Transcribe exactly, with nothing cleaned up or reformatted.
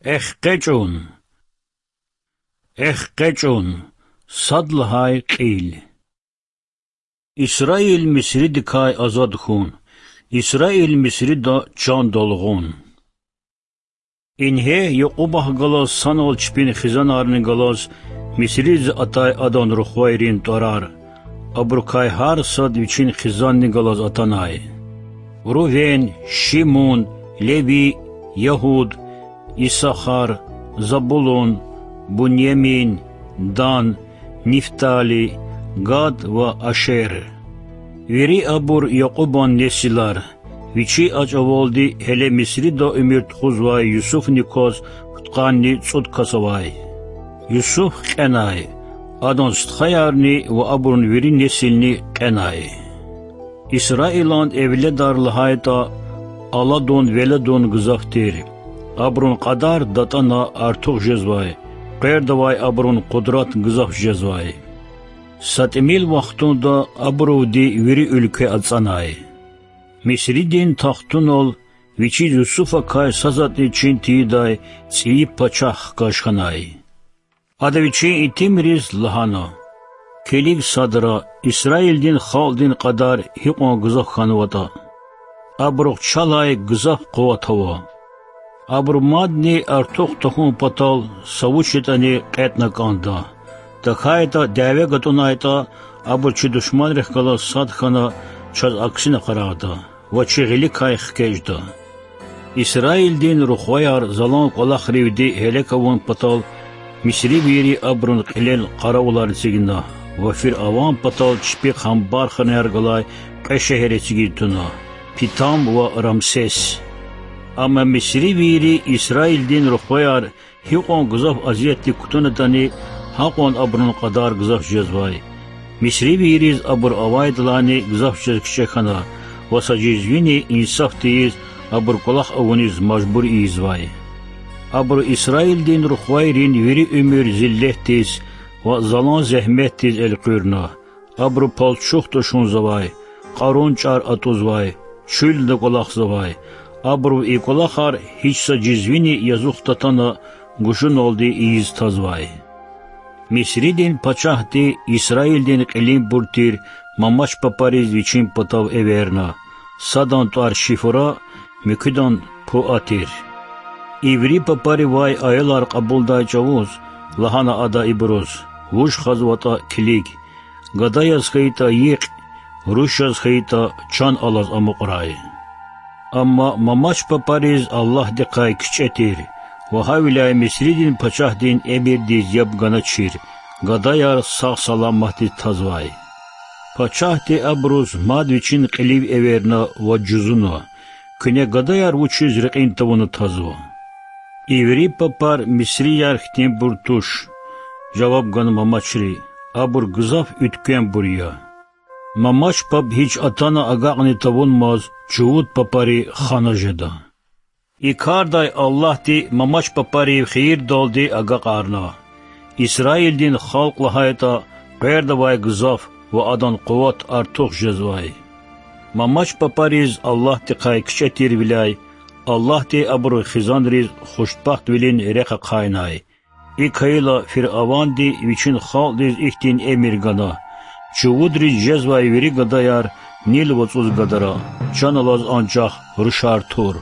ЭхкъечӀун! ЭхкъечӀун! Сад лагьай кьил. Исраил Мисридикай азад хьун. Исраил Мисрида чандал гъун. Ингье Якьубахъ галаз санал чпин хизанарни галаз Мисридиз атай адан рухвайрин тӀварар. Абурукай гьар сад вичин хизанни галаз атанай: Рувен, Шимун, Леви, Ягьуд, Исахар, Забулун, Буньямин, Дан, Нифтали, Гад ва Ашер. Вири абур Якьубан несилар, вичи а чӀавалди гьеле Мисрида уьмуьр тухузвай Юсуфни кваз пудкъанни цӀуд кас авай. Юсуф кьенай, адан стхаярни ва абурун вири несилни кьенай. Исраилан эвледар лагьайтӀа, аладун-веледун гзаф тир. Абурун кьадар датӀана артух жезвай, къвердавай абурун къудрат гзаф жезвай. Са тӀимил вахтунда абурувди вири уьлкве ацӀанай. Мисридин тахтунал вичиз Юсуфакай сасатӀни чин тийидай цӀийи пачагь хкаж хьанай. Ада вичин итимриз лагьана: Килиг садра, Исраилдин халкьдин кьадар гьикьван гзаф хьанватӀа. Абурухъ чалай гзаф къуват ава. Абуру мадни артух тахьун патал са вуч ятӀани кьетӀна кӀанда. ТахьайтӀа, дяве гатӀунайтӀа, абур чи душманрихъ галаз сад хьана, чаз аксина къарагъда ва чи гъиликай хкечӀда. Исраилдин рухваяр залан кӀвалахривди гьелек авун патал мисривийри абурун кьилел къаравулар эцигна ва фиръаван патал чпихъ амбарханаяр галай кьве шегьер эцигиз туна: Питам ва Рамсес. Амма мисривийри Исраилдин рухваяр гьикьван гзаф азиятдик кутунатӀани, гьакьван абурун кьадар гзаф жезвай. Мисривийриз абур авайдалайни гзаф жез кичӀе хьана ва са жезвини инсаф тийиз абур кӀвалах авуниз мажбур ийизвай. Абуру Исраилдин рухвайрин вири уьмуьр зиллетдиз ва залан зегьметдиз элкъуьрна. Абуру палчух тӀушунзавай, кьарун чӀар атӀузвай, чуьлда кӀвалахзавай. Абуру и кӀвалахар гьич са жезвини язух татана гужуналди ийиз тазвай. Мисридин пачагьди Исраилдин кьилинбур тир мамач папариз вичин патав эверна, садан тӀвар Шифра, муькуьдан Пуа тир. И вири папаривай аялар кьабулдай чӀавуз лагьана ада ибуруз: Вуж хазватӀа килиг, гада яз хьайитӀа йикь, руш яз хьайитӀа чан алаз амукьрай. Амма мамач папариз Аллагьдихъай кичӀе тир ва гьавиляй Мисридин пачагьдин эмирдиз яб ганачир, гадаяр сагъ-саламатдиз тазвай. Пачагьди абуруз мад вичин кьилив эверна ва жузуна: Куьне гадаяр вучиз рекьин тавуна тазва? И вири папар мисрияр хьтинбур туш,— жаваб гана мамачри,— абур гзаф уьтквембур я. Мамач паб гьич атана агакьни тавунмаз чувуд папари хана жеда. И кардай Аллагьди мамач папарив хийирдалди агакьарна. Исраилдин халкь лагьайтӀа, къвердавай гзаф ва адан къуват артух жезвай. Мамач папариз Аллагьдихъай кичӀе тирвиляй Аллагьди абурун хизанриз хушбахтвилин рехъ ахъайнай. ИкӀ хьайила фиръаванди вичин халкьдиз ихьтин эмир гана: чувудриз жезвай вири гадаяр Нил вацӀуз гадара, чан алаз анжах рушар тур.